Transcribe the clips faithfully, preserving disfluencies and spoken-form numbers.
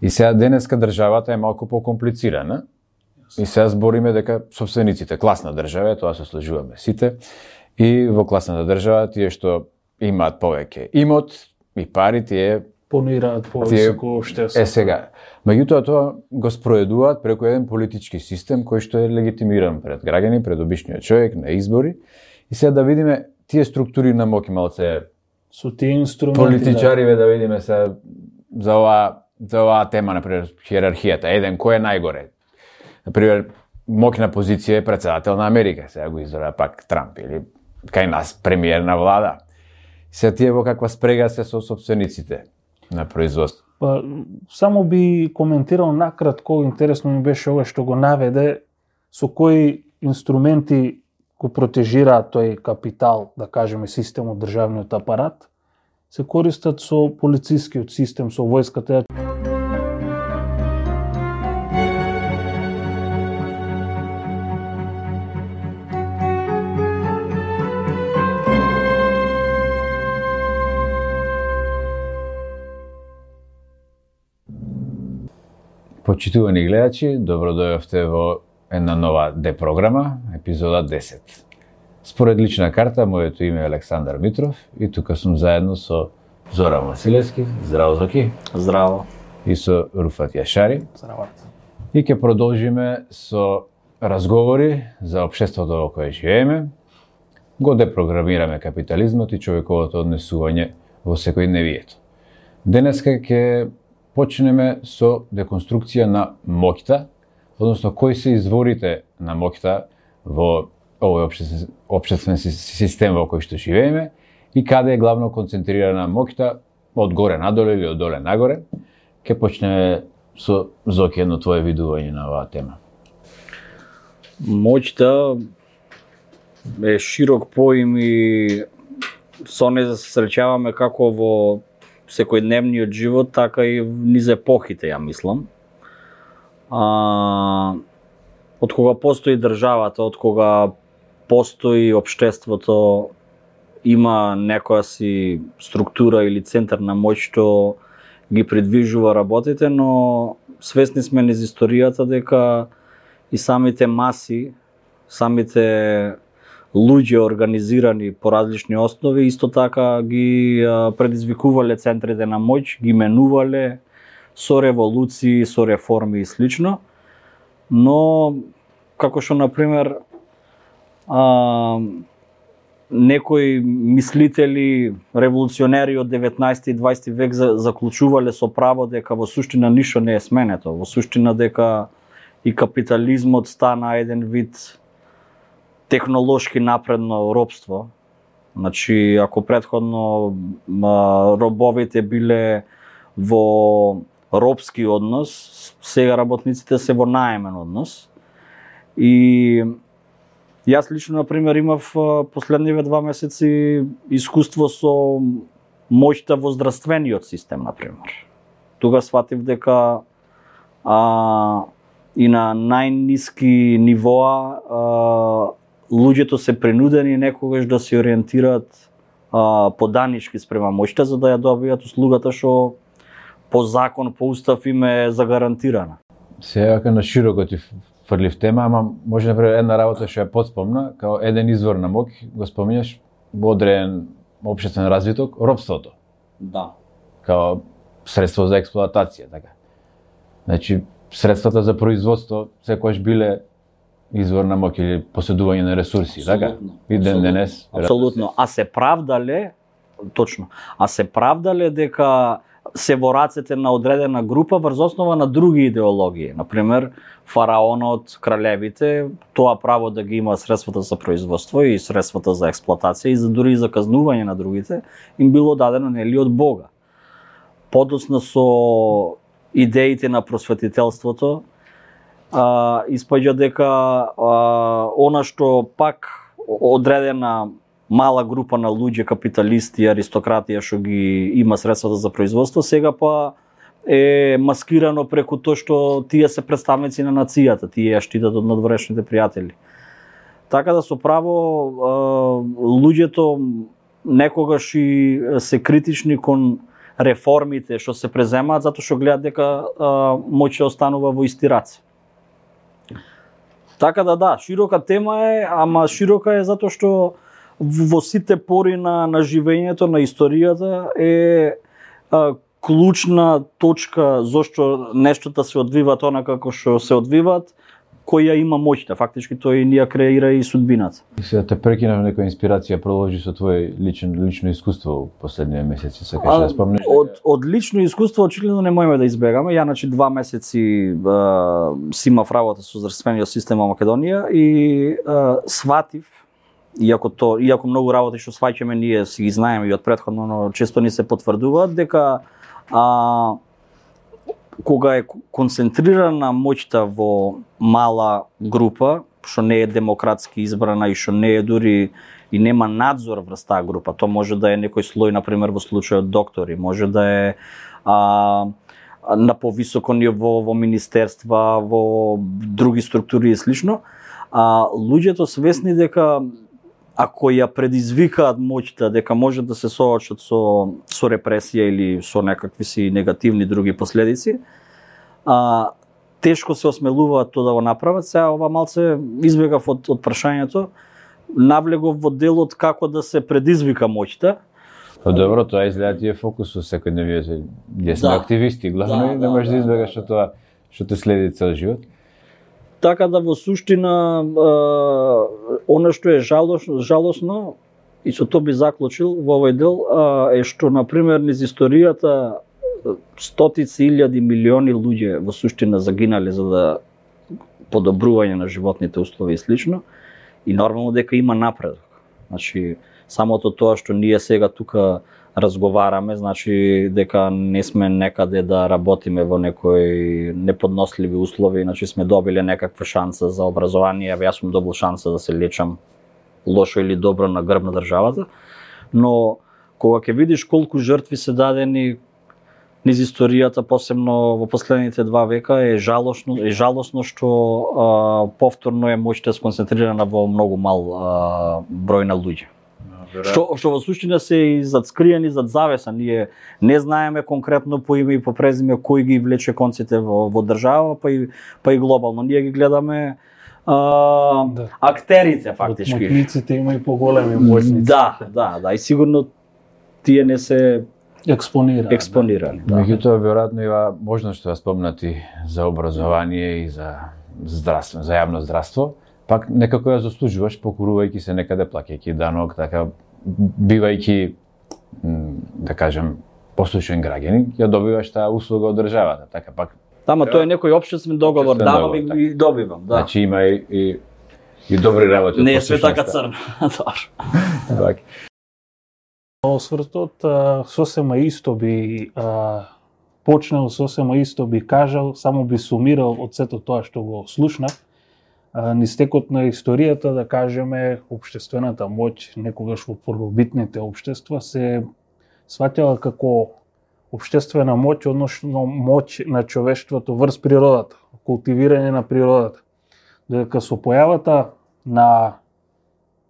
И сега денеска државата е малку покомплицирана. И сега збориме дека собствениците, класна држава, тоа се слажуваме сите, и во класната држава тие што имаат повеќе имот и пари, тие понираат повисоко општество. Е сега, меѓутоа тоа го спроведуваат преку еден политички систем кој што е легитимиран пред граѓани, пред обичниот човек на избори. И сега да видиме тие структури на моќ малце со тие инструменти. Политичариве да, да видиме се за оваа за оваа тема, например, хиерархијата, еден кој е најгоре. Например, моќна позиција е претседател на Америка, сега го избра пак Трамп или кај нас премиер на влада. Сега тие во каква спрега се со собствениците на производство. Па, само би коментирал накратко, интересно ми беше ова што го наведе, со кои инструменти го протежираат тој капитал, да кажеме, системот, државниот апарат, се користат со полицискиот систем, со војската. Почитувани гледачи, добро дојавте во една нова Д-програма, епизода десет. Според лична карта, моето име е Александар Митров и тука сум заедно со Зоран Василевски. Здраво, Зоки. Здраво. И со Руфат Јашари. Здраво. И ќе продолжиме со разговори за општеството во кое живееме. Го депрограмираме капитализмот и човековото однесување во секојдневието. Денеска ќе почнеме со деконструкција на моќта, односно кои се изворите на моќта во овој општествен, општествен систем во кој што живееме и каде е главно концентрирана моќта, од горе надоле или од доле нагоре. Ке почнеме со Зоки едно твое видување на оваа тема. Моќта е широк поим и со неја се среќаваме како во секојдневниот живот, така и низ епохите, ја мислам. А, од кога постои државата, од кога постои општеството, има некоја си структура или центар на моќ што ги придвижува работите, но свесни сме низ историјата дека и самите маси, самите луѓе организирани по различни основи, исто така ги предизвикувале центрите на моќ, ги менувале со револуции, со реформи и слично. Но, како што, например, а, некои мислители, револуционери од деветнаесети и дваесети век заклучувале со право дека во суштина ништо не е сменето, во суштина дека и капитализмот стана еден вид технолошки напредно робство. Значи, ако претходно а, робовите биле во робски однос, сега работниците се во наемен однос. И јас лично, например, имав последниве два месеци искуство со моќта во здравствениот систем, например. Тога сватив дека а, и на најниски нивоа а, луѓето се принудени некогаш да се ориентираат а, поданички спрема моќта, за да ја добијат услугата што по закон, по устав им е загарантирана. Сега на широко ти фрлив тема, ама може например една работа што ја подспомна, као еден извор на моќ, го споминаш во одреден општествен развиток, робството. Да. Као средство за експлоатација, така. Значи, средствата за производство секогаш биле извор на моќ или поседување на ресурси, така? И ден денес. Апсолутно. А се правдале, точно, а се правдале дека се во рацете на одредена група врз основа на други идеологии. Например, фараонот, кралевите, тоа право да ги има средствата за производство и средствата за експлоатација и за дури и за казнување на другите, им било дадено нели од Бога. Подоцна со идеите на просветителството, а, испаѓа дека а, она што пак одредена мала група на луѓе, капиталисти, аристократија што ги има средствата за производство, сега па е маскирано преку тоа што тие се представници на нацијата, тие ја штитат од надворешните пријатели. Така да со право луѓето некогаш и се критични кон реформите што се преземаат затоа што гледаат дека а, моќ останува во исти раце. Така да да, широка тема е, ама широка е затоа што во сите пори на, на живењето, на историјата е а, клучна точка зошто нештата се одвиваат онака како што се одвиваат, која има моќта. Фактички тој ни ја креира и судбината. И сега те прекинав некоја инспирација, продолжи со твое лично лично искуство во последниве месеци, сакаш да спомнеш? Од од лично искуство очигледно не можеме да избегаме. Ја значи два месеци а, си имав работа со здравствениот систем во Македонија и а, сватив, иако то иако многу работи што сваќаме ние си ги знаеме и од претходно, но често ни се потврдуваат дека а, кога е концентрирана моќта во мала група, што не е демократски избрана и што не е дури и нема надзор врз таа група, тоа може да е некој слој, например во случајот доктори, може да е а, на повисоко ниво во министерства, во други структури и слично, а луѓето свесни дека ако ја предизвикаат моќта, дека може да се соочат со, со репресија или со некакви си негативни други последици, а, тешко се осмелуваат тоа да го направат. Сега ова малце избегав од, од прашањето, навлегов во делот како да се предизвика моќта. Па добро, тоа изгледа ти е фокус со секојдневниот, ние сме Да. активисти, главно Да, и да, не можеш да да, избегаш да, што тоа што те следи цел живот. Така да во суштина а, она што е жалосно, жалосно и со тоа би заклучил во овој дел а, е што на пример низ историјата стотици илјади милиони луѓе во суштина загинале за да подобрување на животните услови и слично, и нормално дека има напредок. Значи самото тоа што ние сега тука разговараме, значи дека не сме некаде да работиме во некои неподносливи услови, значи сме добиле некаква шанса за образование, јас сум добил шанса да се лечам лошо или добро на грб на државата, но кога ќе видиш колку жртви се дадени низ историјата, посебно во последните два века, е жалосно, е жалосно што а, повторно е моќта сконцентрирана во многу мал а, број на луѓе. Што, што во суштина се и зад скриени, зад завеса. Ние не знаеме конкретно по име и по презиме кој ги влече конците во, во држава, па и, па и глобално. Ние ги гледаме а, Да. актерите, Од фактички. моќниците има и поголеми моќници. Да, да, да. И сигурно тие не се Експонира. експонирани. Да. Меѓутоа, веројатно има можност да спомнати за образование и за здравство, за јавно здравство, пак некако ја заслужуваш покурувајќи се некаде, плаќајќи данок, така бивајќи, да кажем, послушен граѓанин, ја добиваш таа услуга од државата, така пак. Тама тоа е некој општествен договор, Општествен давам договор, и, и добивам, да. Значи има и, и, и добри работи. од Не е све така послушноста. црно. Добро. Така. Освртот а, сосема исто би а, почнал, сосема исто би кажал, само би сумирал од сето тоа што го слушнав. А, низ текот на историјата, да кажеме, општествената моќ некогаш во првобитните општества се сваќала како општествена моќ, односно моќ на човештвото врз природата, култивирање на природата. Додека со појавата на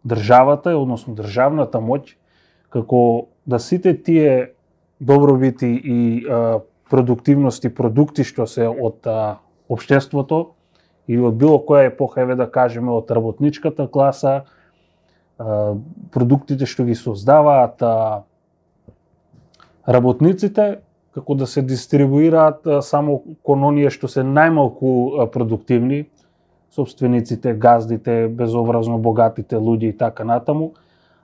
државата, односно државната моќ, како да сите тие добробити и а, продуктивности, продукти што се од а, општеството или од било која епоха, еве да кажеме од работничката класа, а, продуктите што ги создаваат а, работниците, како да се дистрибуираат а, само кон оние што се најмалку а, продуктивни, собствениците, газдите, безобразно богатите луѓе и така натаму,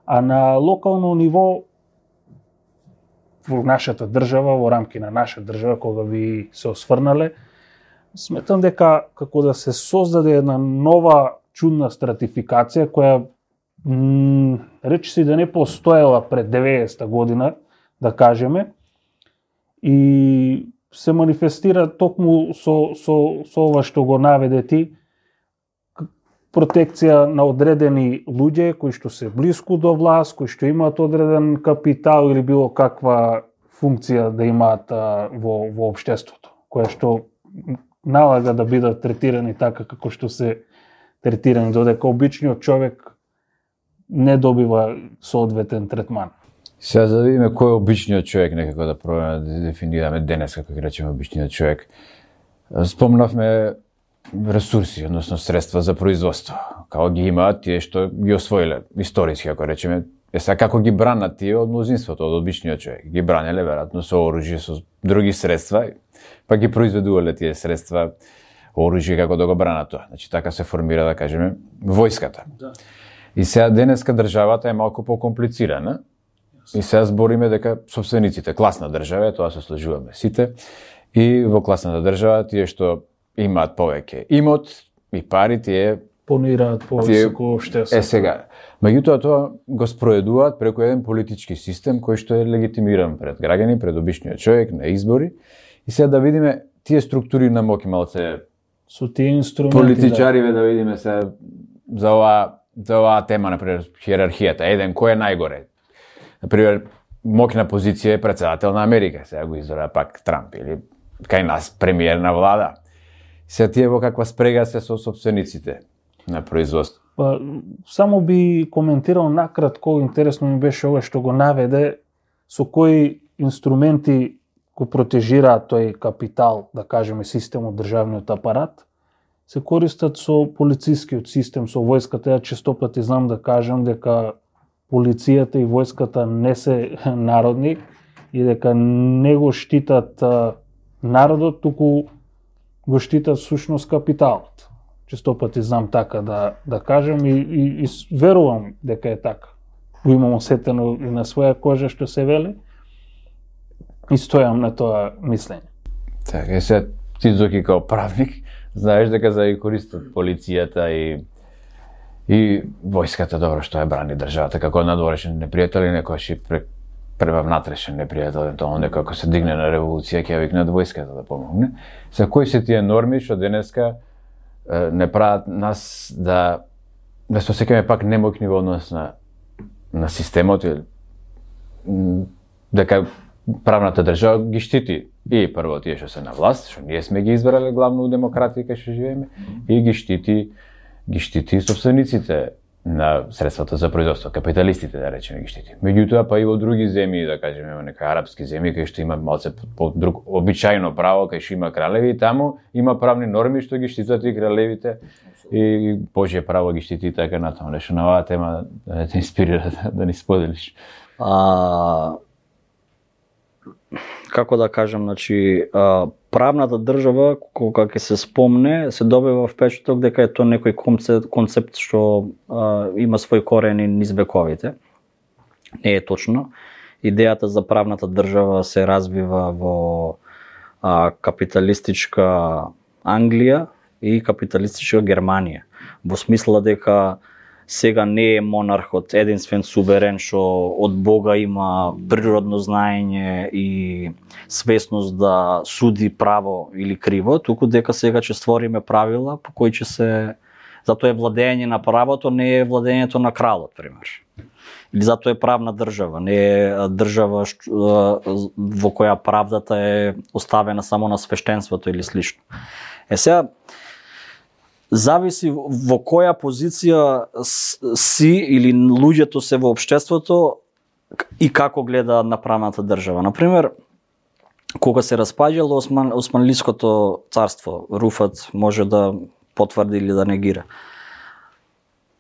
а на локално ниво во нашата држава, во рамки на наша држава, кога би се осврнале, сметам дека како да се создаде една нова чудна стратификација која м, речи си да не постоела пред деветдесета година, да кажеме, и се манифестира токму со, со, со ова што го наведе ти, протекција на одредени луѓе кои што се блиску до власт, кои што имаат одреден капитал или било каква функција да имаат а, во, во општеството, која што налага да бидат третирани така како што се третирани, додека обичниот човек не добива соодветен третман. Сега за да видиме кој е обичниот човек, некако да пробаме да дефинираме денес, како ги речеме обичниот човек. Спомнавме ресурси, односно средства за производство. Како ги имаат тие што ги освоиле, историски, ако речеме. Е сега како ги бранат тие од мнозинството, од обичниот човек. Ги бранеле, веројатно, со оружје, со други средства, па ги произведувале тие средства, оружје, како да го бранат тоа. Значи, така се формира, да кажеме, војската. Да. И сега денеска државата е малку покомплицирана. И сега збориме дека собствениците, класна држава, тоа се сложуваме сите, и во класната држава тие што имаат повеќе имот и пари, тие понираат повисоко општество. Е сега, меѓутоа тоа го спроведуваат преку еден политички систем кој што е легитимиран пред граѓани, пред обичниот човек на избори. И сега да видиме тие структури на моќ малце со тие инструменти. Политичариве да, да видиме се за оваа за оваа тема, например, хиерархијата, еден кој е најгоре. Например, моќна позиција е председател на Америка, сега го избора пак Трамп, или кај нас премиер на влада. Сега тие во каква спрега се со собствениците на производство. Па, само би коментирал накратко, интересно ми беше ова што го наведе, со кои инструменти го протежираат тој капитал, да кажеме, системот, државниот апарат, се користат со полицискиот систем, со војската. Ја често пати знам да кажам дека полицијата и војската не се народни и дека не го штитат народот, туку го штитат сушност капиталот. Често пати знам така да, да кажам и, и, и верувам дека е така. Го имам осетено и на своја кожа што се вели и стојам на тоа мислење. Така, е сега ти Зоки као правник, знаеш дека за да користат полицијата и и војската, добро што е брани државата, како надворешен непријател и некојаш и према внатрешен непријател, тоа некој ако се дигне на револуција ќе ја викнат војската да помогне. За кои се тие норми што денеска е, не прават нас да да се осеќаме пак немоќни во однос на на системот, или дека правната држава ги штити и прво тие што се на власт, што ние сме ги избрале главно у демократија кај што живееме, и ги штити ги штити собствениците на средствата за производство, капиталистите, да речеме, ги штити. Меѓутоа, па и во други земји, да кажеме, во некои арапски земји, кај што има малце по друг обичајно право, кај што има кралеви, и таму има правни норми што ги штитат и кралевите, и Божје право ги штити и така натаму. Нешто на оваа тема да те инспирира да, да ни споделиш. А, како да кажам, значи, а, правната држава, кога ќе се спомне, се добива впечаток дека е тоа некој концепт, концепт што а, има свој корени низ вековите. Не е точно. Идејата за правната држава се развива во а, капиталистичка Англија и капиталистичка Германија. Во смисла дека сега не е монархот единствен суверен што од Бога има природно знаење и свесност да суди право или криво, туку дека сега ќе створиме правила по кои ќе се... Затоа е владење на правото, не е владењето на кралот, пример. Или затоа е правна држава, не е држава во која правдата е оставена само на свештенството или слично. Е сега, зависи во која позиција си или луѓето се во општеството и како гледа на правната држава. Например, кога се распаѓало Осман, Османлиското царство, Руфат може да потврди или да негира.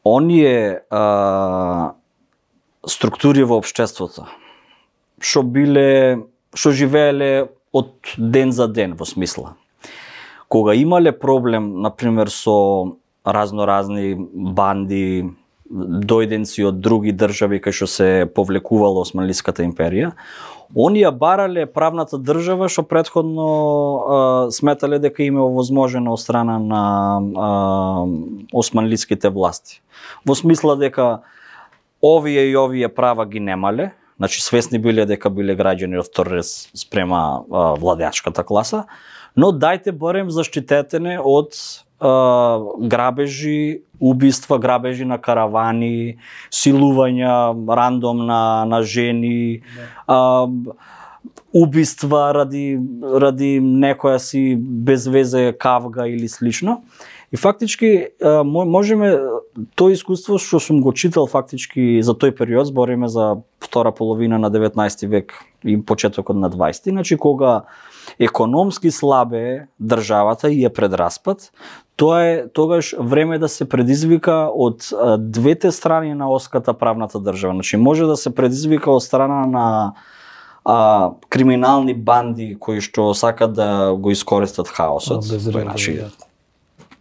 Оние а, структури во општеството што биле, што живееле од ден за ден во смисла. Кога имале проблем, например, со разноразни банди, дојденци од други држави кај што се повлекувала Османлиската империја, оние барале правната држава што претходно а, сметале дека им е овозможено од страна на а, османлиските власти. Во смисла дека овие и овие права ги немале, значи свесни биле дека биле граѓани од втор ред спрема а, владеачката класа, но дајте барем заштитете не од а, грабежи, убиства, грабежи на каравани, силувања рандом на, на жени, а, убиства ради, ради некоја си без везе кавга или слично. И фактички а, можеме тој искуство што сум го читал фактички за тој период, збориме за втора половина на деветнаести век и почетокот на дваесети, значи кога економски слабе државата и е пред распад, тоа е тогаш време да се предизвика од двете страни на оската правната држава. Значи може да се предизвика од страна на а, криминални банди кои што сакат да го искористат хаосот, Безредно, значи да.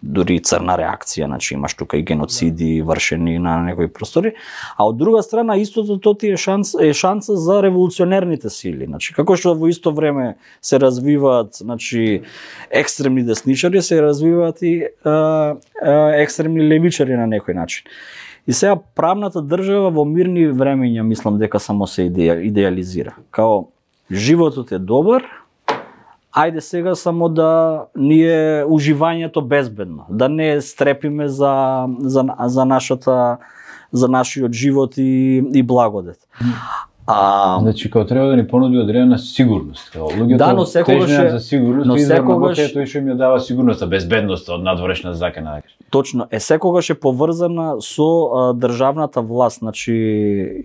дури црна реакција, значи имаш тука и геноциди вршени на некои простори, а од друга страна истото тоа ти е шанс е шанса за револуционерните сили, значи како што во исто време се развиваат, значи екстремни десничари, се развиваат и а, а, екстремни левичари на некој начин. И сега правната држава во мирни времења мислам дека само се идеја, идеализира. Као животот е добар, ајде сега само да ни е уживањето безбедно, да не стрепиме за за за нашата за нашиот живот и и благодет. А Значи као треба да ни понуди одредена сигурност, као луѓето Да, но секогаш тежнеат е- за сигурност, но и за секогаш- многото тој што им ја дава сигурноста, безбедноста од надворешна закана. точно, е секогаш е поврзана со а, државната власт, значи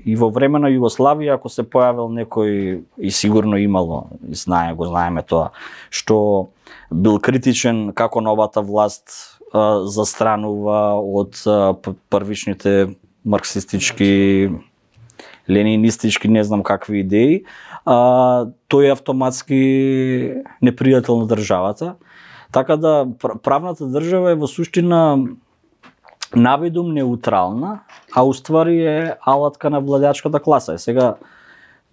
и во време на Југославија ако се појавил некој и сигурно имало, и знае, го знаеме тоа, што бил критичен како новата власт а, застранува од а, п- првичните марксистички, ленинистички, не знам какви идеи, а, тој е автоматски непријател на државата. Така да пр- правната држава е во суштина навидум неутрална, а уствари е алатка на владеачката класа. Е, сега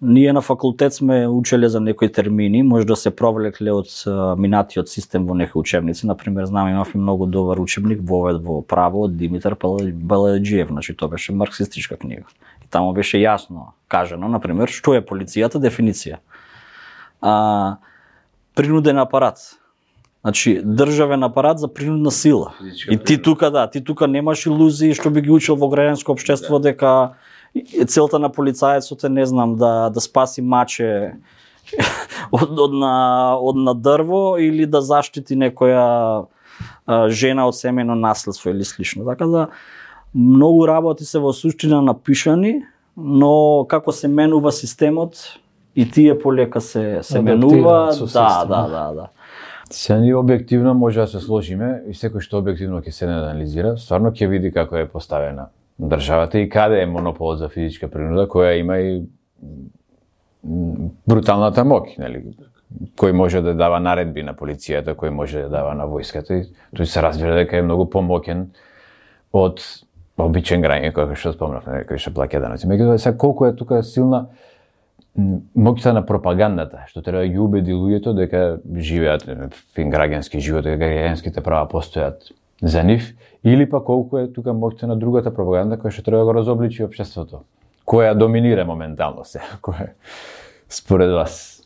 ние на факултет сме учеле за некои термини, може да се провлекле од а, минатиот систем во некои учебници. Например, знам имав и многу добар учебник Вовед во право од Димитар Пал- Балаџиев, значи тоа беше марксистичка книга. И таму беше јасно кажано, например, што е полицијата, дефиниција. А, принуден апарат. Значи, државен апарат за принудна сила. Физичка И ти тука, да, ти тука немаш илузии што би ги учил во граѓанско општество дека целта на полицаецот е, не знам, да да спаси маче од од на од на дрво или да заштити некоја а, жена од семејно наследство или слично. Така да многу работи се во суштина напишани, но како се менува системот и тие полека се се Адаптираат менува, со да, системот. да, да, да. Се ние објективно може да се сложиме и секој што објективно ќе се анализира, стварно ќе види како е поставена државата и каде е монополот за физичка принуда, која има и м, бруталната моќ, нели? Кој може да дава наредби на полицијата, кој може да дава на војската и тој се разбира дека е многу помоќен од обичен граѓанин кој што спомнав, нели, кој што плаќа даноци. Меѓутоа сега колку е тука силна м, моќта на пропагандата, што треба да ги убеди луѓето дека живеат фин граѓански живот, дека граѓанските права постојат за нив, или па колку е тука моќта на другата пропаганда која што треба да го разобличи општеството, која доминира моментално се, која според вас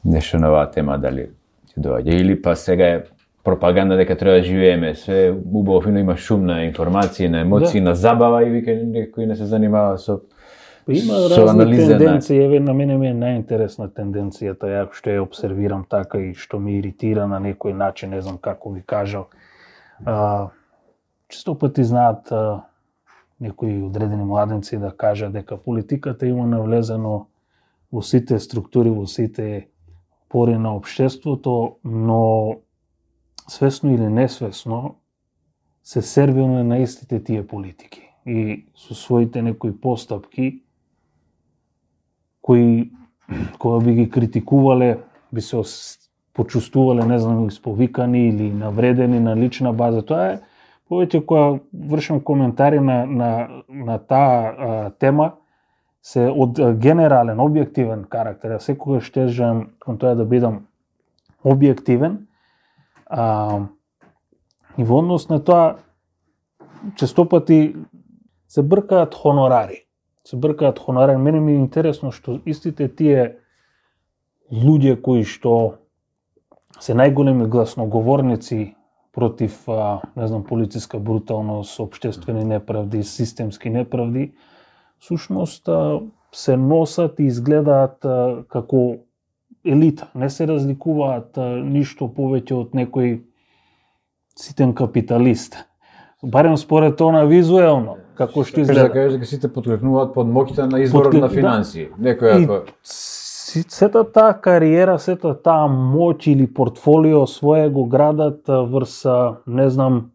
нешто на оваа тема дали ќе доаѓа, или па сега е пропаганда дека треба да живееме све убаво фино, има шум на информации, на емоции, Да. на забава и вика некој не се занимава со Па има со разни анализа на- тенденции, еве на мене ми е најинтересна тенденцијата, ја што ја обсервирам така и што ме иритира на некој начин, не знам како ви кажал. А, често пати знаат а, некои одредени младенци да кажат дека политиката има навлезено во сите структури, во сите пори на општеството, но свесно или несвесно се сервираме на истите тие политики и со своите некои постапки кои кога би ги критикувале, би се ос- почувствувале, не знам, исповикани или навредени на лична база. Тоа е повеќе кога вршам коментари на на на таа а, тема се од а, генерален, објективен карактер. Ја секогаш тежам кон тоа да бидам објективен. А, и во однос на тоа често пати се бркаат хонорари. Се бркаат хонорари. Мене ми е интересно што истите тие луѓе кои што се најголеми гласноговорници против, а, не знам, полициска бруталност, општествени неправди, системски неправди, сушност а, се носат и изгледаат а, како елита. Не се разликуваат а, ништо повеќе од некој ситен капиталист. барем според она визуелно, како што изгледа. Да кажеш дека сите поткрепнуваат под моќта на изборот Подкреп- на финансии. да. Некој И ако си- сета таа кариера, сета таа моќ или портфолио свое го градат а, врз, а, не знам,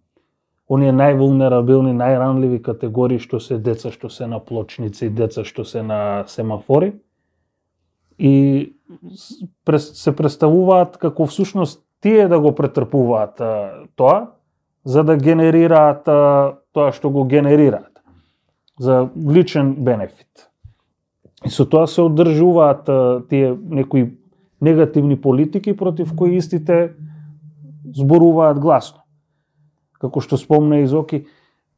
оние највулнерабилни, најранливи категории што се деца што се на плочници, деца што се на семафори. И с- прес- се представуваат како всушност тие да го претрпуваат а, тоа, за да генерираат а, тоа што го генерираат, за личен бенефит. И со тоа се одржуваат а, тие некои негативни политики против кои истите зборуваат гласно. Како што спомна и Зоки,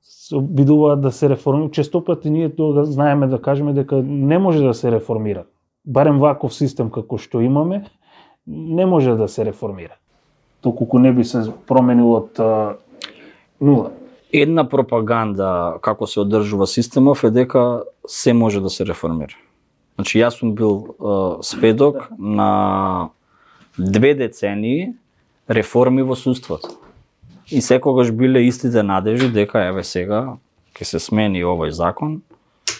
се обидуваат да се реформираат. Често пати ние тоа знаеме да кажеме дека не може да се реформира. Барем ваков систем како што имаме, не може да се реформира. Доколку не би се променило од а, нула. Една пропаганда како се одржува системов е дека се може да се реформира. Значи јас сум бил е, сведок на две децении реформи во судството. И секогаш биле истите надежи дека еве сега ќе се смени овој закон,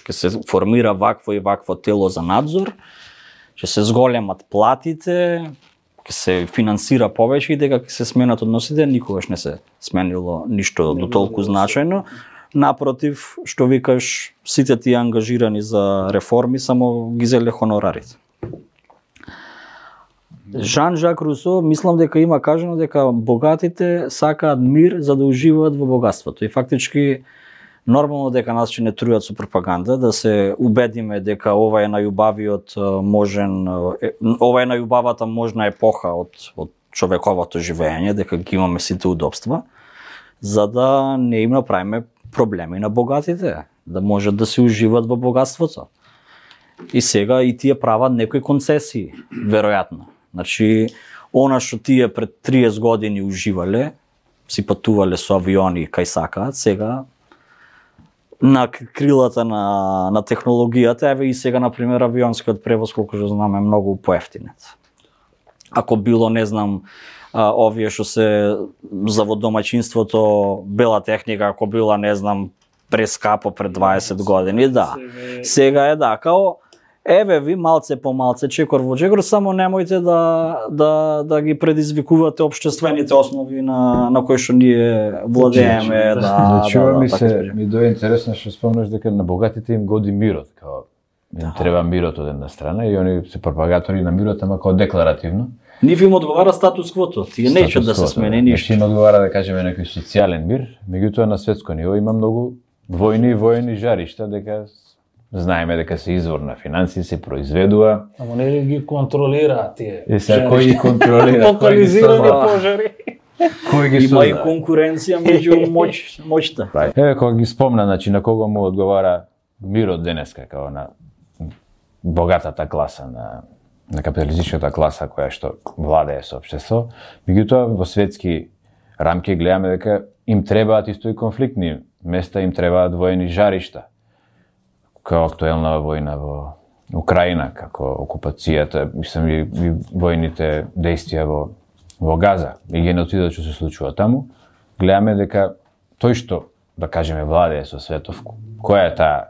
ќе се формира вакво и вакво тело за надзор, ќе се зголемат платите, ќе се финансира повеќе и дека ќе се сменат односите, никогаш не се сменило ништо до толку значајно. Напротив, што викаш, сите тие ангажирани за реформи само ги зеле хонорарите. Жан-Жак Русо, мислам дека има кажано дека богатите сакаат мир за да уживаат во богатството. И фактички нормално дека нас ќе не трујат со пропаганда, да се убедиме дека ова е најубавиот можен, ова е најубавата можна епоха од, од човековото живење, дека ги имаме сите удобства, за да не им направиме проблеми на богатите, да можат да се уживаат во богатството. И сега и тие прават некои концесии, веројатно. Значи, она што тие пред триесет години уживале, си патувале со авиони кај сакаат, сега на крилата на, на технологијата, еве и сега, например, авионскиот превоз, колку што знам, е многу поевтинет. Ако било, не знам, а, овие што се за во домаќинството, бела техника, ако била, не знам, прескапо пред дваесет години, да. Сега е да, као, еве ви малце по малце, чекор во чекор, само немојте да, да, да ги предизвикувате општествените основи на, на кои што ние владееме. Да, да, чува да, ми да, се, така ми дојде интересно што спомнаш дека на богатите им годи мирот, као им Да. треба мирот од една страна и они се пропагатори на мирот, ама као декларативно. Нив им одговара статус квото, тие неќат да се Статус смени кво, ништо. Значи им одговара да кажеме некој социјален мир, меѓутоа на светско ниво има многу војни и војни жаришта, дека знаеме дека се извор на финансии, се произведува. Ама не ли ги контролираат тие? И сега кој ги контролира, кој ги Локализирани создава, пожари. кој ги Има и создава. конкуренција меѓу моќ, моќта. Еве кога ги спомна, значи на кого му одговара мирот денеска, као на богатата класа, на на капиталистичката класа која што владее со општество, меѓутоа во светски рамки гледаме дека им требаат исто и конфликтни места, им требаат воени жаришта. Као актуелна војна во Украина, како окупацијата, мислам и, и војните действија во во Газа и геноцидот што се случува таму, гледаме дека тој што, да кажеме, владее со светов, која е таа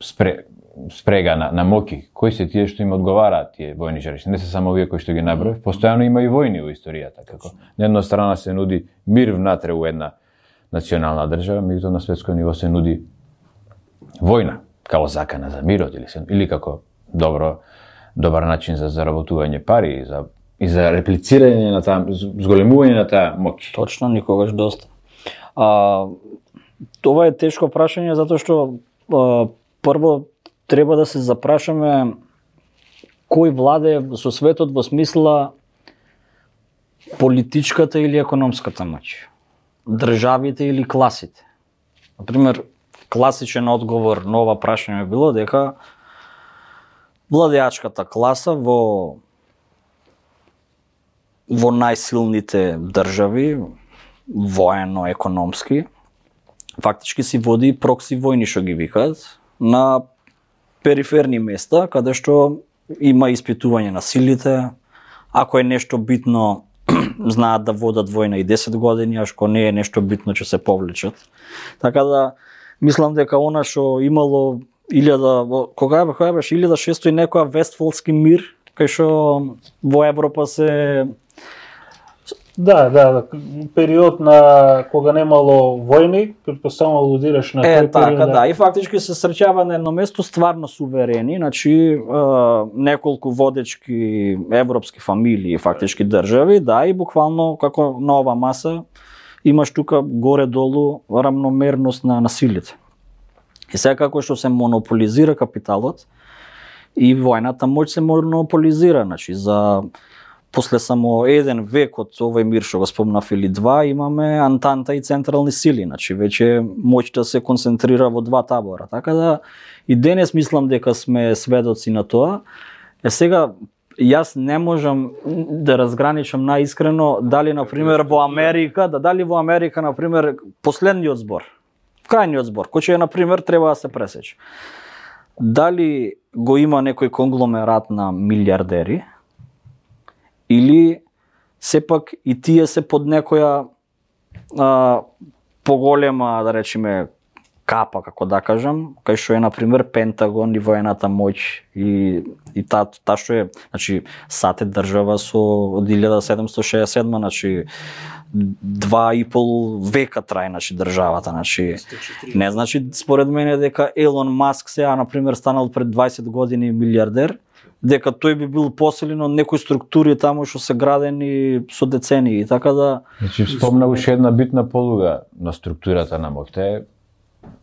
спре, спрега на, на моки, кои се тие што им одговараат тие војни жаришта, не се само овие кои што ги наброив, постојано има и војни во историјата, како на една страна се нуди мир внатре у една национална држава, меѓутоа на светско ниво се нуди војна, како закана за мирот или се, или како добро добар начин за заработување пари и за и за реплицирање на таа зголемување на таа моќ. Точно, никогаш доста. А, това е тешко прашање затоа што а, прво треба да се запрашаме кој владее со светот во смисла политичката или економската моќ. Државите или класите. Например, класичен одговор на ова прашање било дека владеачката класа во во најсилните држави, воено-економски, фактички си води прокси војни што ги викаат на периферни места, каде што има испитување на силите, ако е нешто битно знаат да водат војна и десет години, а што не е нешто битно ќе се повлечат. Така да мислам дека она што имало илјада кога бе кога беше илјада шестои некоја Вестфалски мир, кај што во Европа се Да, да, период на кога немало војни, претпоставувам алудираш на е, тој така, период. да, и фактички се среќава на едно место стварно суверени, значи е, неколку водечки европски фамилии, фактички држави, да, и буквално како на ова маса имаш тука горе-долу рамномерност на насилите. И сега како што се монополизира капиталот и војната моќ се монополизира, значи за после само еден век од овој мир што го спомнав или два, имаме антанта и централни сили, значи веќе моќта се концентрира во два табора. Така да и денес мислам дека сме сведоци на тоа. Е сега јас не можам да разграничам наискрено дали на пример во Америка, да дали во Америка на пример последниот збор, крајниот збор, кој е на пример треба да се пресече. Дали го има некој конгломерат на милиардери, или сепак и тие се под некоја а, поголема, да речеме, капа, како да кажам, кај што е на пример Пентагон и воената моќ и и та та што е, значи САД е држава со од илјада седумстотини шеесет и седма, значи два и пол века трај, значи државата, значи не значи според мене дека Елон Маск сега на пример станал пред дваесет години милиардер, дека тој би бил поселен од некои структури таму што се градени со децении, така да Значи спомна уште една битна полуга на структурата на моќта е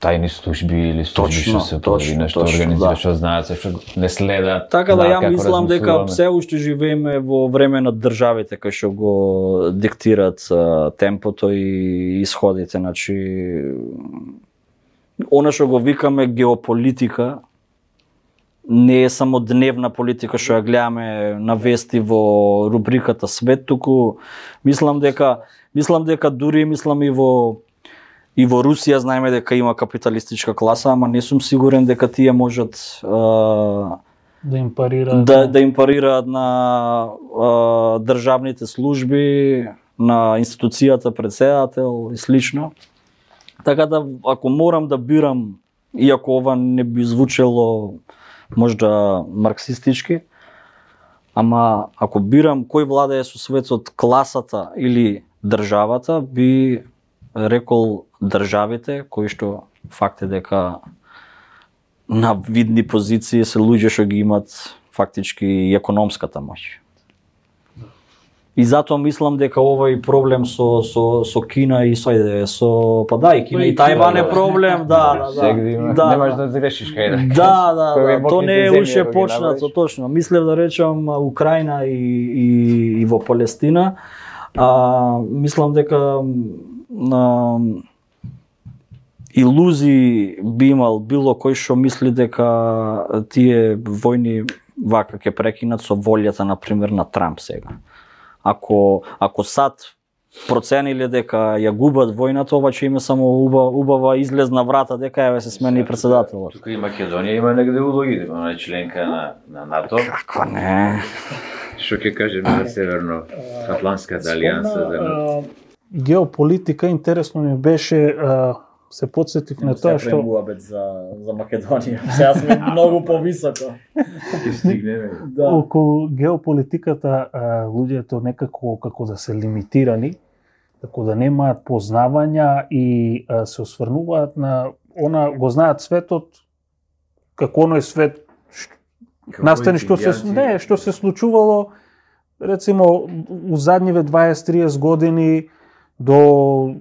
тајни служби или служби што се појави, нешто организира, што знаат, се што не следат. Така да ја мислам дека се уште живееме во време на државите кои што го диктират темпото и исходите, значи она што го викаме геополитика не е само дневна политика што ја гледаме на вести во рубриката Свет, туку мислам дека мислам дека дури мислам и во и во Русија знаеме дека има капиталистичка класа, ама не сум сигурен дека тие можат а, да им парираат да, да им парираат на а, државните служби, на институцијата председател и слично. Така да ако морам да бирам, иако ова не би звучело можда марксистички, ама ако бирам кој владее со светот, класата или државата, би рекол државите кои што факт е дека на видни позиции се луѓе што ги имат фактички и економската моќ. И затоа мислам дека овој проблем со со со Кина и со со па да и Кина и Тајван е проблем, да, да, да. Да, немаш да грешиш кај да. Да, да, да, то не е уште почнато точно. Мислев да речам Украина и и и во Палестина. А мислам дека на илузии би имал било кој што мисли дека тие војни вака ќе прекинат со волјата на пример на Трамп сега. Ако ако САД процениле дека ја губат војната, ова ќе има само убава, убава излезна врата дека ја се смени председателот. Тука и Македонија има негде улоги, она е членка на на НАТО. Како не? Што ќе кажеме за Северно Атлантската алијанса за геополитика интересно ми беше, а, се подсетив на тоа што за за Македонија. Сега сме многу повисоко. ќе стигнеме. да. Околу геополитиката а, луѓето некако како да се лимитирани, како да немаат познавања и а, се осврнуваат на она, го знаат светот како оној свет настани што се не, што се случувало рецимо у задниве дваесет до триесет години до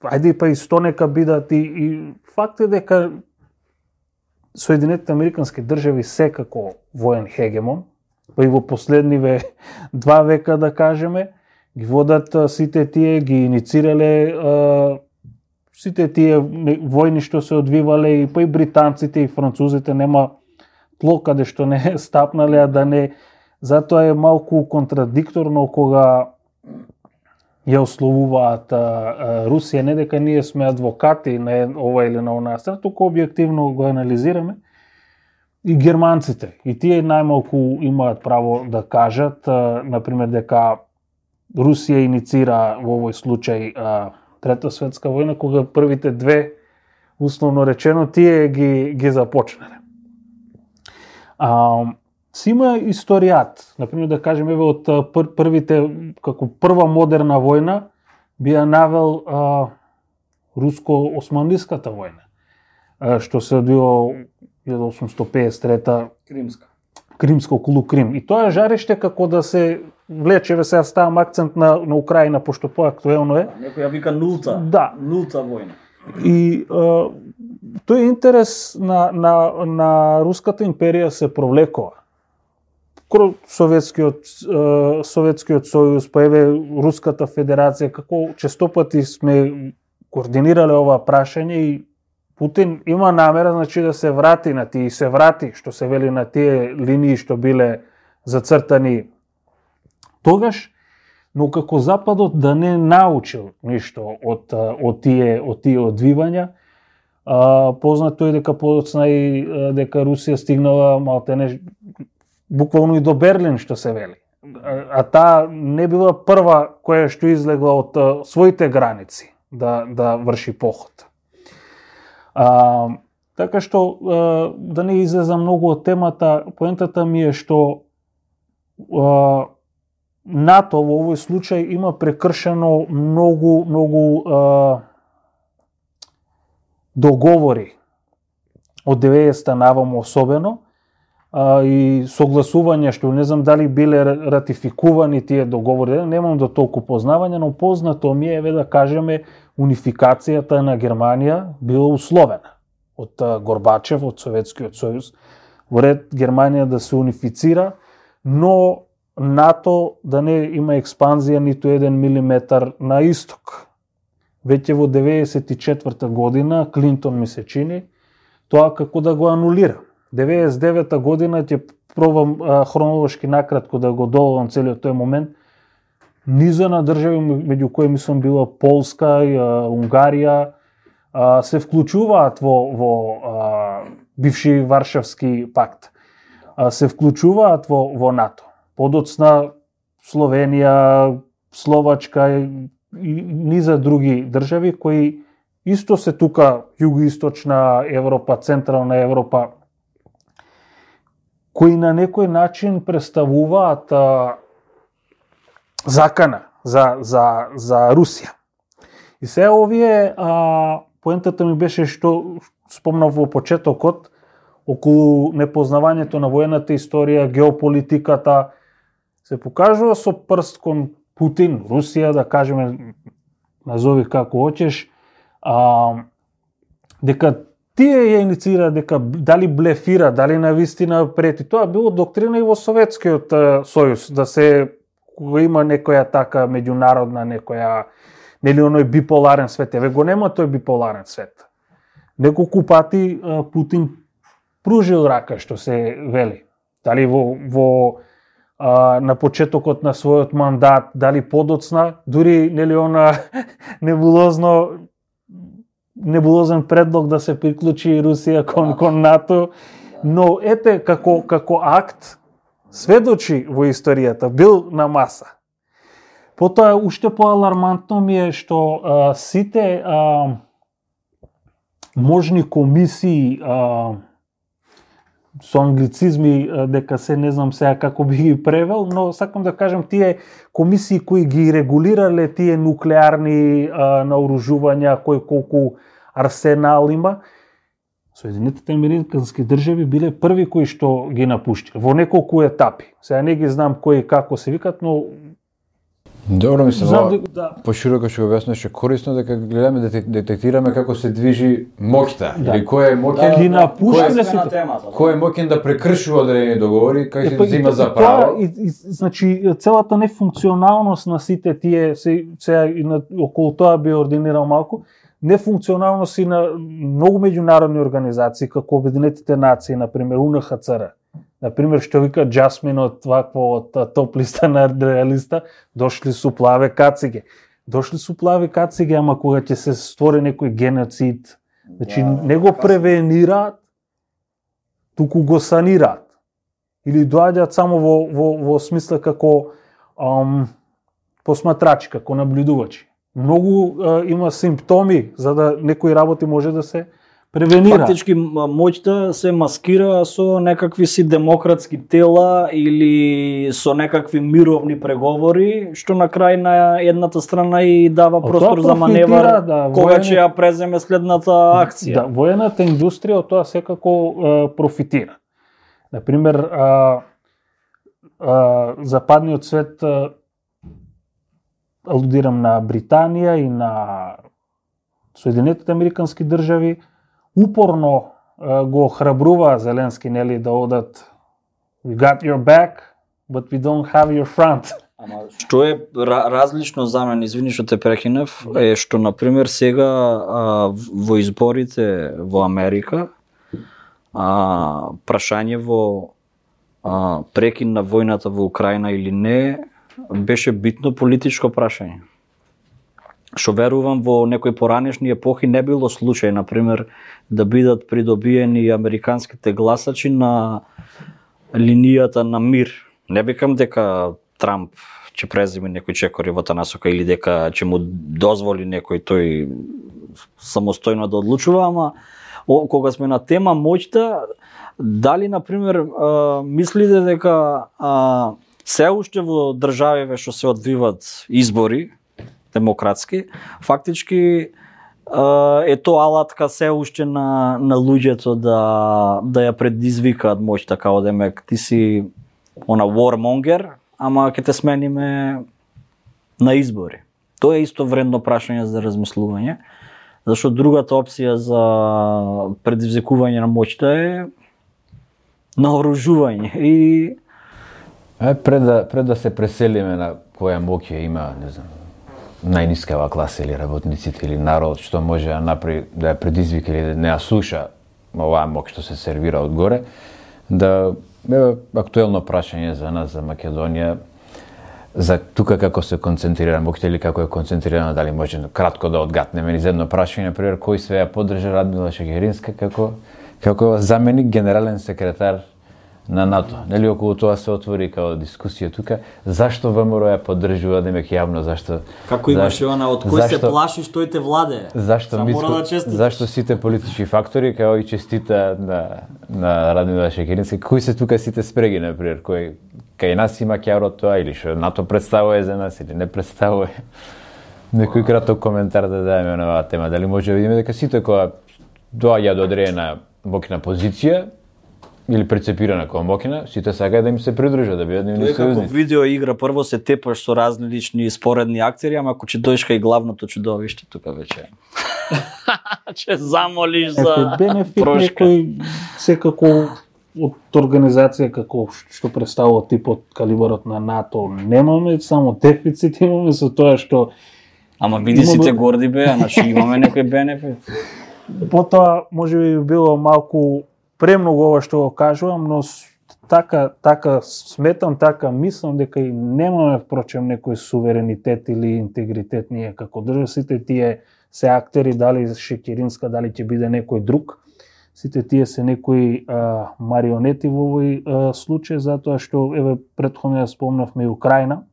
ајде па и сто нека бидат и, и факт е дека Соединетите Американски држави секако воен хегемон, па и во последниве два века да кажеме, ги водат а, сите тие, ги иницирале а, сите тие војни што се одвивале и па и британците и французите нема тло каде што не стапнале, а да не. Затоа е малку контрадикторно кога ја ословуваат а, а, Русија, не дека ние сме адвокати на ова или на онаа страна, туку објективно го анализираме. И германците, и тие најмалку имаат право да кажат, а, например, дека Русија иницира во овој случај а, Трета светска војна, кога првите две, условно речено, тие ги, ги започнале. А, си има историјат, например да кажем, еве од пр, првите, како прва модерна војна, би ја навел а, руско-османлиската војна, а, што се одвива еден осумстотини педесет и трета Кримска. Кримско околу Крим. И тоа е жариште како да се влече, еве сега ставам акцент на, на Украина, пошто поактуелно е. Некој ја вика нулта. Да. Нулта војна. И а, тој интерес на, на, на Руската империја се провлекува. Кроз Советскиот, Советскиот сојуз, па еве Руската федерација, како честопати сме координирале ова прашање и Путин има намера, значи, да се врати на тие, и се врати, што се вели, на тие линии што биле зацртани тогаш, но како Западот да не научил ништо од, од тие, од тие одвивања. А, познато е дека подоцна и дека Русија стигнала малтене буквално и до Берлин, што се вели. А, а таа не била прва која што излегла од а, своите граници да, да врши поход. А, така што, а, да не излезам многу од темата, поентата ми е што а, НАТО во овој случај има прекршено многу, многу а, договори од деветдесетта наваму особено, а, и согласувања што не знам дали биле ратификувани тие договори, немам до толку познавање, но познато ми е, еве да кажеме, унификацијата на Германија била условена од Горбачев, од Советскиот сојуз, во ред Германија да се унифицира, но НАТО да не има експанзија ниту еден милиметар на исток. Веќе во деветдесет и четврта година Клинтон ми се чини тоа како да го анулира. деветдесет и девета година ќе пробам а, хронолошки накратко да го доловам целиот тој момент. Низа на држави, меѓу кои мислам била Полска, и, а, Унгарија, а, се вклучуваат во, во а, бивши Варшавски пакт. А, се вклучуваат во, во НАТО. Подоцна Словенија, Словачка и, и низа други држави кои исто се тука југоисточна Европа, централна Европа, кои на некој начин представуваат а, закана за, за, за Русија. И се овие, а, поентата ми беше што спомнав во почетокот, околу непознавањето на воената историја, геополитиката, се покажува со прст кон Путин, Русија, да кажеме, назови како хочеш, а, дека тие ја инициира, дека дали блефира, дали навистина прети. Тоа било доктрина и во Советскиот сојуз, да се, кога има некоја така меѓународна, некоја, нели оној биполарен свет, еве го нема тој биполарен свет. Неколку пати а, Путин пружил рака, што се вели. Дали во, во а, на почетокот на својот мандат, дали подоцна, дури нели она небулозно небулозен предлог да се приклучи Русија кон, кон НАТО, но ете како, како акт сведочи во историјата, бил на маса. Потоа, уште поалармантно ми е што а, сите а, можни комисии, а, со англицизми, а, дека се не знам сега како би ги превел, но сакам да кажем тие комисии кои ги регулирале тие нуклеарни а, наоружувања, кој колку арсенал има, Соединетите американски држави биле први кои што ги напуштиле во неколку етапи. Сега не ги знам кои како се викат, но добро ми се знам во да, пошироко што го објаснуваше, корисно дека гледаме да детектираме како се движи моќта, Да. или кој е моќен, ги напуштиле Кој е на темата? кој е моќен да прекршува одредени договори, кај се Епа, взима и- за и право. тоа, И, и, значи, целата нефункционалност на сите тие, се, сега и на, околу тоа би ординирал малку, нефункционалност и на многу меѓународни организации, како Обединетите нации, например, У Н Х Ц Р, например, што вика Джасмин од вакво од топ листа на реалиста, дошли су плаве кациге. Дошли су плави кациге, ама кога ќе се створи некој геноцид, значи Да, не го превенираат, туку го санираат. Или доаѓаат само во, во, во смисла како ам, посматрачи, како наблюдувачи. Многу а, има симптоми за да некои работи може да се превенира. Фактички моќта се маскира со некакви си демократски тела или со некакви мировни преговори, што на крај на едната страна и дава простор за маневар, да, кога воен... ќе ја преземе следната акција. Да, воената индустрија од тоа секако а, профитира. Например, а, а, западниот свет, а, алудирам на Британија и на Соединетите американски држави, упорно а, го охрабрува Зеленски, нели, да одат "We got your back, but we don't have your front." Ама што е различно за мен, извини што те прекинев, е што на пример сега а, во изборите во Америка, а, прашање во а, прекин на војната во Украина или не беше битно политичко прашање. Што верувам во некои поранешни епохи не било случај, на пример, да бидат придобиени американските гласачи на линијата на мир. Не викам дека Трамп ќе преземе некој чекори во таа насока или дека ќе му дозволи некој тој самостојно да одлучува, ама о, кога сме на тема моќта, дали на пример а, мислите дека а, се уште во државиве што се одвиват избори демократски, фактички е тоа алатка се уште на на луѓето да да ја предизвикаат моќта, као демек ти си она warmonger, ама ќе те смениме на избори. Тоа е исто вредно прашање за размислување, зашто другата опција за предизвикување на моќта е наоружување и е, пред да пред да се преселиме на која моќ има, не знам, најнискава класа или работниците или народ што може да направи, да ја предизвика или да не ја слуша оваа моќ што се сервира одгоре, да е актуелно прашање за нас, за Македонија, за тука како се концентрира моќта или како е концентрирана, дали може кратко да одгатнеме низ едно прашање, например, кој све ја поддржа Радмила Шекеринска како како заменик генерален секретар на НАТО. Нели околу тоа се отвори као дискусија тука, зашто ВМРО ја поддржува, демек јавно, зашто како имаше она од кој зашто, се плашиш тој те владе. Зашто миско, да зашто сите политички фактори као и честита на на Радмила Шекеринска, кои се тука сите спреги, например, кој кај нас има ќаро тоа или што НАТО представува за нас или не представува. Некој краток коментар да дадеме на оваа тема, дали може да видиме дека сите кога доаѓа до одредена моќна позиција или прецепирана како моќна, сите сакаат да им се придружат, да бидат нивни сојузници. Како видео игра, прво се тепаш со различни споредни актери, ама ако ќе дојдеш кај главното чудовиште, тука веќе ќе замолиш за бенефит некој секако од организација како што представува типот калибарот на НАТО немаме само дефицит, имаме со тоа што ама види сите горди беа, значи имаме некој бенефит. Потоа може би било малку премногу ова што го кажувам, но така така сметам, така мислам дека и немаме впрочем некој суверенитет или интегритет ние како држава. Сите тие се актери, дали Шекеринска, дали ќе биде некој друг. Сите тие се некои а, марионети во овој а, случај, затоа што еве претходно ја спомнавме и Украина.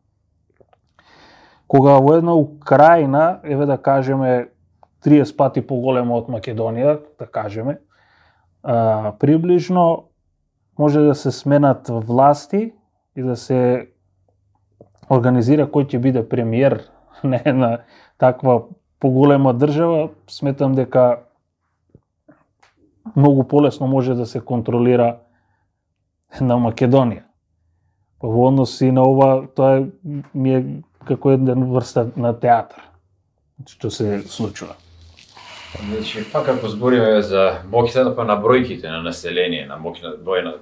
Кога во една Украина, еве да кажеме триесет пати поголема од Македонија, да кажеме, а, приближно може да се сменат власти и да се организира кој ќе биде премиер на една таква поголема држава, сметам дека многу полесно може да се контролира на Македонија. Во однос и на ова, тоа ми е како една врста на театар, што се случува. Значи, пак ако збориме за моќта па на бројките на население, на моќна воена,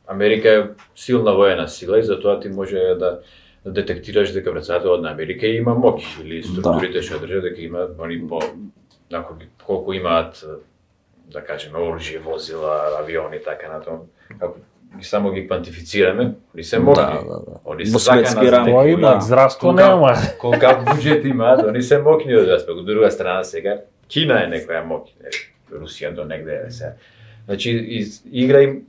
Америка е силна воена сила и затоа ти може да детектираш дека председателот на Америка има моќ или структурите што држат дека има они по нако колку имаат, да кажеме, оружје, возила, авиони и така натаму. Како ги само ги квантифицираме, они се моќни. Да, да, да. Они се закана Тоа има, здравство нема. Колкав буџет имаат, они се моќни од аспект. Од друга страна сега Кина е некоја моќна, Русија до негде е се. Значи игра им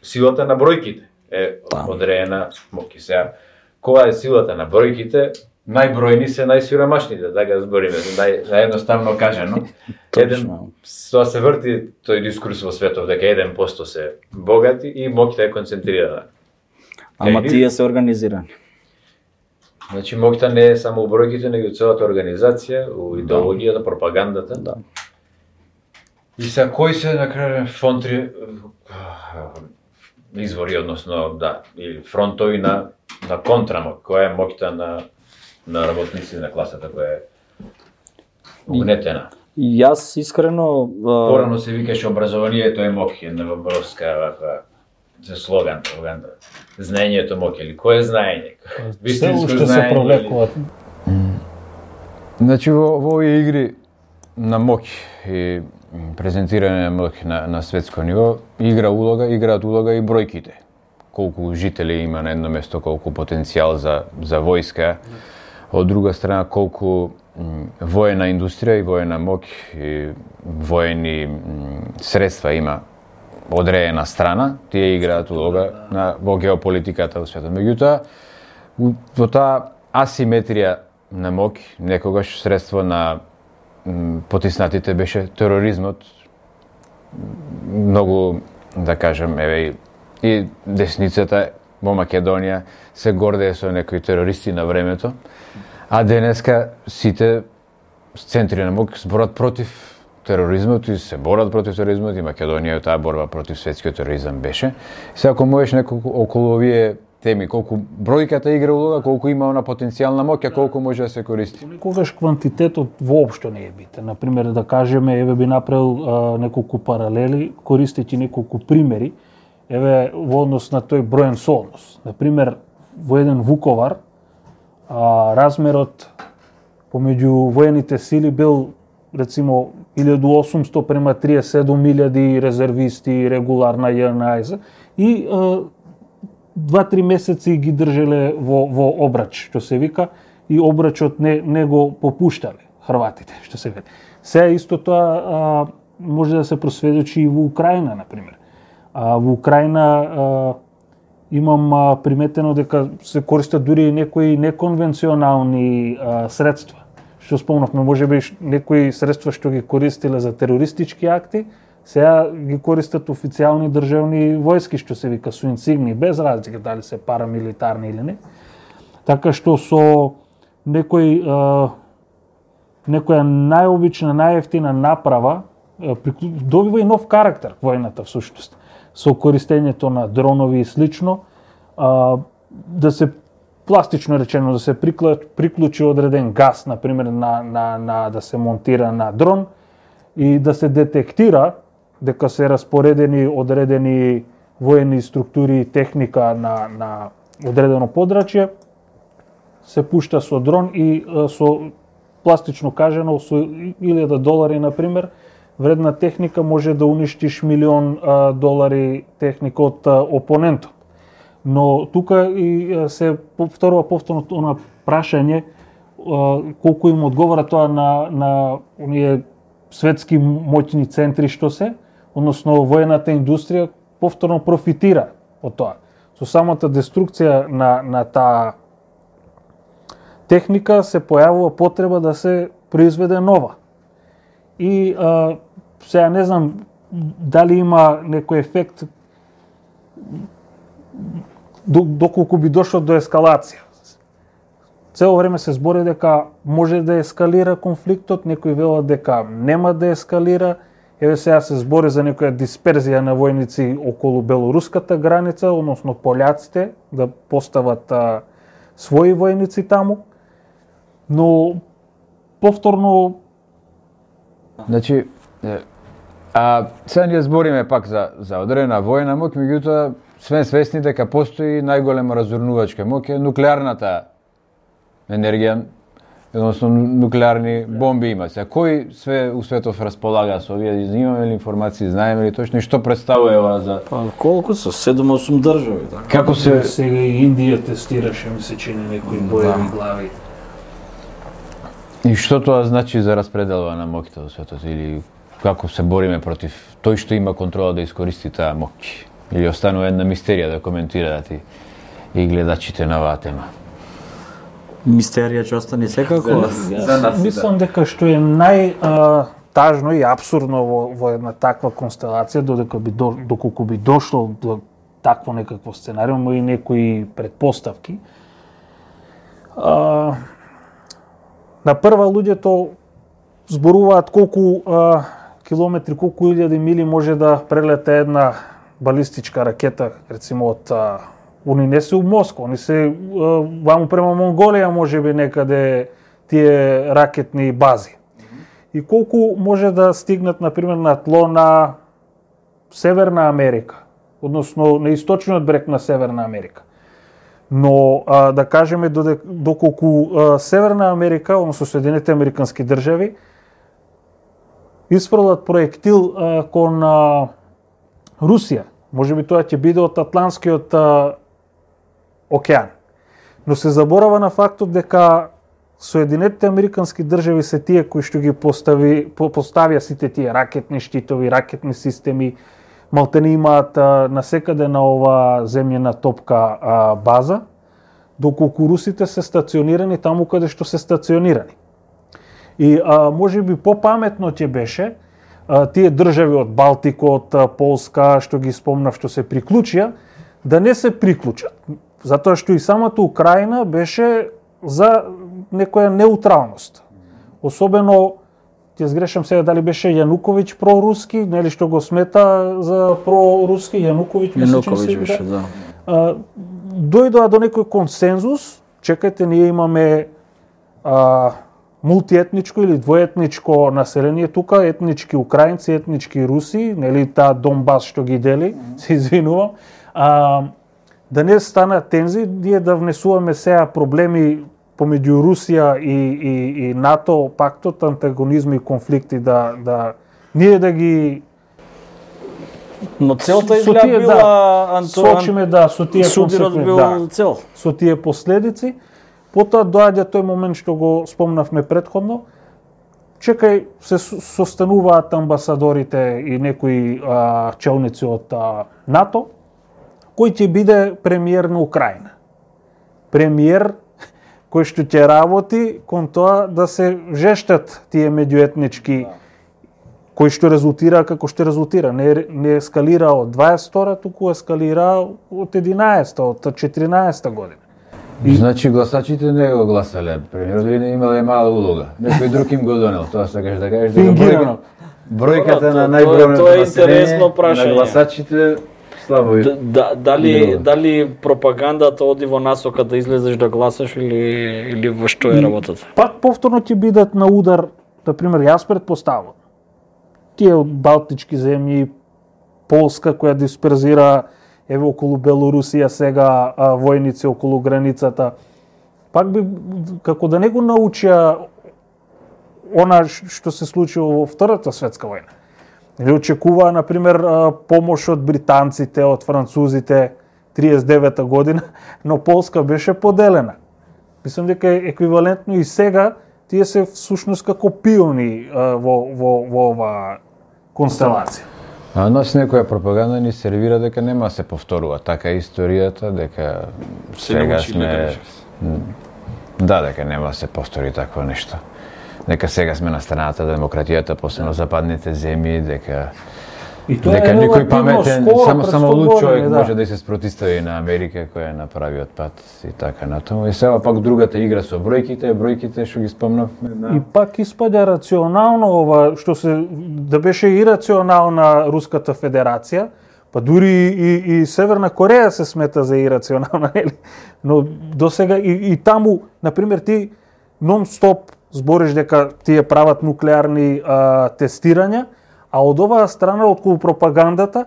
силата на бројките е одредена моќ. Сега кога е силата на бројките, најбројни се најсиромашните, така збориме, нај, наједноставно кажано. Еден, тоа се врти тој дискурс во светот, дека еден процент се богати и моќта е концентрирана. Ама тие се организирани. Значи, моќта не е само у бројките, него и целата организација, у идеологијата, пропагандата. Да. И са кои се на крај фронтри извори, односно да, или фронтови на на контрамок, која е моќта на на работници на класата која е угнетена. И јас искрено порано се викаше образованието е моќ, една въпроска ваква за слоган, пропаганда. Знаењето моќ или кој е знаење? Вистинско знаење се провлекуваат. Значи во во овие игри на моќ и презентирање на моќ на на светско ниво игра улога, играат улога и бројките. Колку жители има на едно место, колку потенцијал за за војска. Од друга страна, колку воена индустрија и воена моќ и воени средства има одредена страна, тие играат улога на во геополитиката во светот. Меѓутоа, во таа асиметрија на моќ, некогаш средство на потиснатите беше тероризмот. Многу, да кажем, еве и десницата во Македонија се гордее со некои терористи на времето, а денеска сите центри на моќ зборат против тероризмот и се борат против тероризмот и Македонија таа борба против светскиот тероризам беше. Сега ако можеш неколку околу овие теми, колку бројката игра улога, колку има она потенцијална моќ, а колку може да се користи. Никогаш квантитетот воопшто не е битен. Например, да кажеме, еве би направил а, неколку паралели, користејќи неколку примери, еве во однос на тој броен сооднос. Например, во еден Вуковар, а, размерот помеѓу воените сили бил рецимо илјаду и осумсто према триесет и седум илјади резервисти, регуларна Ј Н А и два-три месеци ги држеле во во обрач, што се вика, и обрачот не не го попуштале хрватите, што се вели. Сега исто тоа а, може да се просведочи и во Украина, на пример. А во Украина а, имам а, приметено дека се користат дури и некои неконвенционални а, средства. Што спомнавме, можеби некои средства што ги користиле за терористички акти, сега ги користат официјални државни војски, што се вика со инсигни, без разлика дали се парамилитарни или не. Така што со некој а, некоја најобична, најевтина направа а, добива и нов карактер војната всушност. Со користењето на дронови и слично, а, да се пластично речено да се приклучи одреден газ, на пример на на на да се монтира на дрон и да се детектира дека се распоредени одредени воени структури и техника на на одредено подрачје, се пушта со дрон и со пластично кажано со илјада долари на пример вредна техника може да уништиш милион а, долари техника од а, опонентот. Но тука и се повторува повторно она прашање а, колку им одговара тоа на на оние светски моќни центри што се, односно воената индустрија повторно профитира од тоа. Со самата деструкција на на таа техника се појавува потреба да се произведе нова. И а, сега не знам дали има некој ефект доколку би дошло до ескалација. Цело време се збори дека може да ескалира конфликтот, некои велат дека нема да ескалира. Еве сега се збори за некоја дисперзија на војници околу белоруската граница, односно пољаците да постават а, своји војници таму. Но повторно значи а сега ние збориме пак за за одредена војна моќ, меѓутоа сме свесни дека постои најголема разурнувачка моќ, нуклеарната енергија, односно нуклеарни бомби има. Сега кој све у светот располага со овие, имаме ли информации, знаеме ли точно што представува ова за па колку се седум-осум држави, така. Како се сега и Индија тестираше, ми се чини некои боеви глави. И што тоа значи за распределба на моќта во светот или како се бориме против тој што има контрола да искористи таа моќ? Или останува една мистерија да коментираат и, и гледачите на оваа тема? Мистерија ќе остане секако. За нас, Мислам дека што е нај а, тажно и абсурдно во, во една таква констелација, додека би до, доколку би дошло до такво некакво сценариум, има и некои предпоставки. А, на прва луѓето зборуваат колку а, километри, колку илјади мили може да прелета една балистичка ракета, рецимо од а, они не се у Москва, они се а, ваму према Монголија, можеби некаде тие ракетни бази. И колку може да стигнат, например, на тло на Северна Америка, односно на источниот брег на Северна Америка. Но а, да кажеме доколку а, Северна Америка, односно Соединените Американски држави, исфрлат проектил а, кон а, Русија, можеби тоа ќе биде од Атлантскиот а, океан. Но се заборава на фактот дека Соединетите Американски држави се тие кои што ги постави, поставија сите тие ракетни штитови, ракетни системи, малтени имаат а, насекаде на ова земјена топка а, база, доколку русите се стационирани таму каде што се стационирани. И а, може би попаметно ќе беше а, тие држави од Балтикот, Полска, што ги спомнав, што се приклучија, да не се приклучат. Затоа што и самата Украина беше за некоја неутралност. Особено, ќе сгрешам сега дали беше Јануковиќ проруски, нели што го смета за проруски, Јануковиќ, Јануковиќ беше, да. А, дојдоа до некој консензус, чекајте, ние имаме а, мултиетничко или двоетничко население тука, етнички украинци, етнички руси, нели таа Донбас што ги дели, се извинувам. А, да не стана тензи, ние да внесуваме сега проблеми помеѓу Русија и, и, и НАТО, пактот, антагонизми и конфликти, да, да ние да ги Но целта со изгледа тие, била да, Антон сочиме да со тие судирот консеквенци, бил да, цел. со тие последици. Потоа доаѓа тој момент што го спомнавме претходно. Чекај, се состануваат амбасадорите и некои а, челници од а, НАТО, кој ќе биде премиер на Украина. Премиер кој што ќе работи кон тоа да се жештат тие меѓуетнички, кој што резултира како што резултира. Не, не ескалира од дваесет втора, туку ескалира од единаесетта, од четиринаесетта година. И... Значи гласачите не го гласале, премиерот не имале мала улога. Некој друг им го донел, тоа сакаш да кажеш дека бројка, бројката на најбројното население на гласачите слабо. Да, дали дали пропагандата оди во насока да излезеш да гласаш или или во што е работата? Пак повторно ќе бидат на удар, на пример, јас претпоставувам. Тие од балтички земји, Полска која дисперзира еве околу Белорусија сега а, војници околу границата. Пак би како да не го научија она што се случило во Втората светска војна. Или очекуваа, например, помош од британците, од французите, триесет и девета година, но Полска беше поделена. Мислам дека е еквивалентно и сега, тие се всушност како пиони во, во, во ова констелација. А нас некоја пропаганда ни сервира дека нема се повторува така историјата, дека сега сме... Да, дека нема се повтори такво нешто. Дека сега сме на страната демократијата, посебно западните земји, дека И тоа дека е некој паметен, скоро, само само луд човек да. може да се спротистави на Америка која направи од пат и така натаму. И сега пак другата игра со бројките, бројките што ги спомнавме. Да. И пак испаѓа рационално ова што се да беше ирационална Руската Федерација, па дури и, и Северна Кореја се смета за ирационална, нели? Но досега и, и таму, на пример, ти нон-стоп збориш дека тие прават нуклеарни а, тестирања, а од оваа страна, околу пропагандата,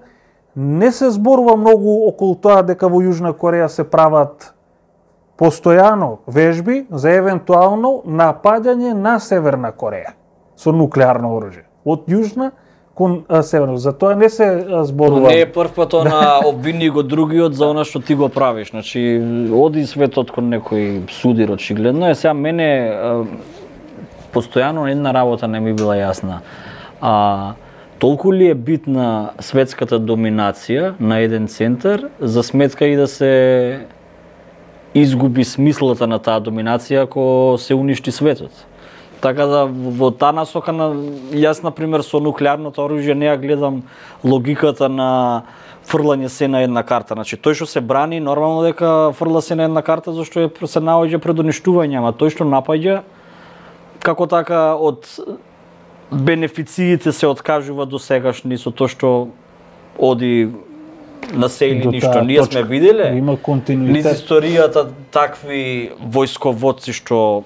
не се зборува многу околу тоа дека во Јужна Кореја се прават постојано вежби за евентуално напаѓање на Северна Кореја со нуклеарно оружје. Од Јужна кон а, Северна. За тоа не се а, зборува. Не е прв пат она обвини го другиот за она што ти го правиш. Значи, оди светот кон некој судир очигледно. Е, сега мене а, постојано една работа не ми била јасна. А, толку ли е битна светската доминација на еден центар за сметка и да се изгуби смислата на таа доминација ако се уништи светот. Така да во таа насока на јас на пример со нуклеарното оружје не ја гледам логиката на фрлање се на една карта. Значи тој што се брани нормално дека фрла се на една карта зашто е се наоѓа пред уништување, ама тој што напаѓа како така од бенефициите се откажува до сегашни со тоа што оди на се или ништо. Ние сме виделе има континуитет. Низ историјата такви војсководци што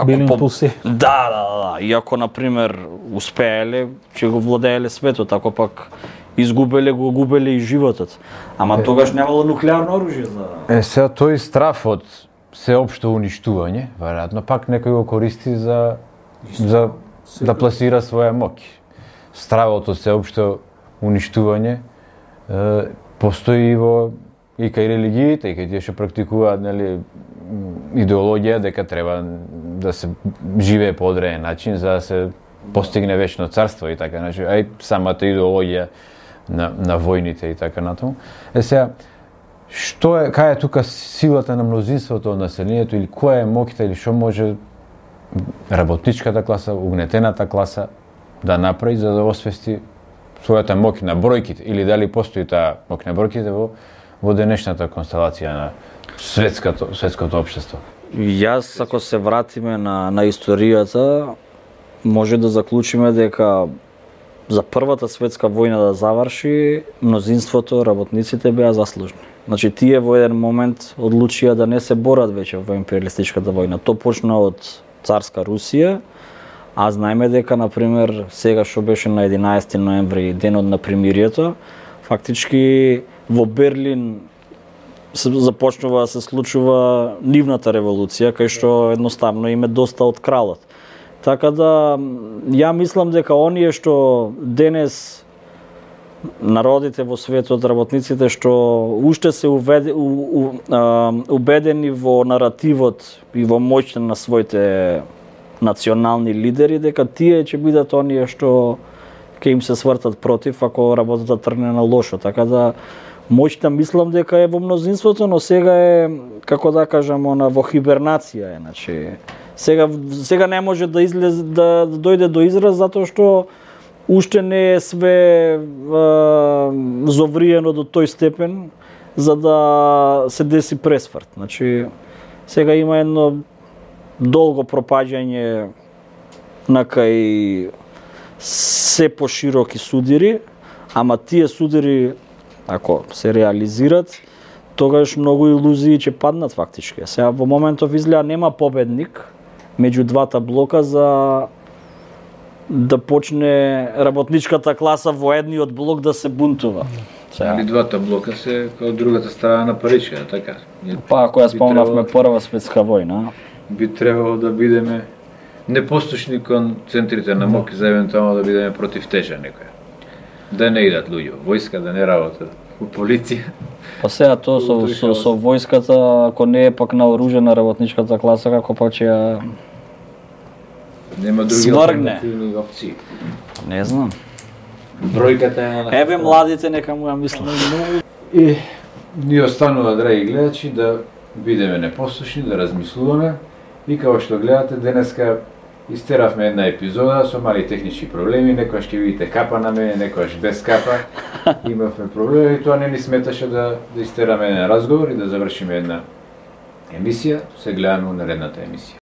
били по... импулси. Да, да, да. И ако на пример успееле, ќе го владееле светот, ако пак изгубеле, го губеле и животот. Ама е, тогаш немало нуклеарно оружје за... Е, сега тој страф од сеопшто уништување, веројатно пак некој го користи за за да пласира своја моќ. Стравот од сеопшто уништување е, постои и во и кај религиите, и кај тие што практикуваат, нели, идеологија дека треба да се живее по одреден начин за да се постигне вечно царство и така, значи, ај самата идеологија на на војните и така натаму. Е сега, што е, кај е тука силата на мнозинството од населението или која е моќта или што може работничката класа, угнетената класа да направи за да освести својата моќ на бројките или дали постои таа моќ на бројките во во денешната констелација на светското светското општество. Јас ако се вратиме на на историјата може да заклучиме дека за првата светска војна да заврши мнозинството работниците беа заслужни. Значи тие во еден момент одлучија да не се борат веќе во империалистичката војна. Тоа почна од царска Русија, а знаеме дека на пример сега што беше на единаесети ноември денот на примирието, фактички во Берлин се започнува да се случува нивната револуција, кај што едноставно им е доста од кралот. Така да ја мислам дека оние што денес народите во светот, работниците што уште се уведе, у, у, а, убедени во наративот и во моќта на своите национални лидери, дека тие ќе бидат оние што ќе им се свртат против ако работата тргне на лошо. Така да моќта мислам дека е во мнозинството, но сега е, како да кажам, она во хибернација е, значи сега сега не може да излезе да, да дојде до израз затоа што уште не е све а, зовриено до тој степен за да се деси пресврт. Значи сега има едно долго пропаѓање на кај се пошироки судири, ама тие судири ако се реализират, тогаш многу илузии ќе паднат фактички. Сега во моментов изгледа нема победник меѓу двата блока за да почне работничката класа во едниот блок да се бунтува. Сега. Или двата блока се као другата страна на паричката, така? Па ако ја спомнавме Прва светска војна, би требало да бидеме непослушни кон центрите на моќ за евентуално да бидеме против тежа некоја. Да не идат луѓе во војска, да не работат во полиција. Па сега тоа со, со, со војската, ако не е пак наоружена работничката класа, како пак ќе ја нема други алтернативни опции. Не знам. Бројката е на... Еве младите нека му ја мислат. И ни останува, драги гледачи, да бидеме непослушни, да размислуваме. И како што гледате, денеска истеравме една епизода со мали технички проблеми, некојаш ќе видите капа на мене, некојаш без капа. Имавме проблеми и тоа не ни сметаше да, да истераме еден разговор и да завршиме една емисија. Се гледаме на наредната емисија.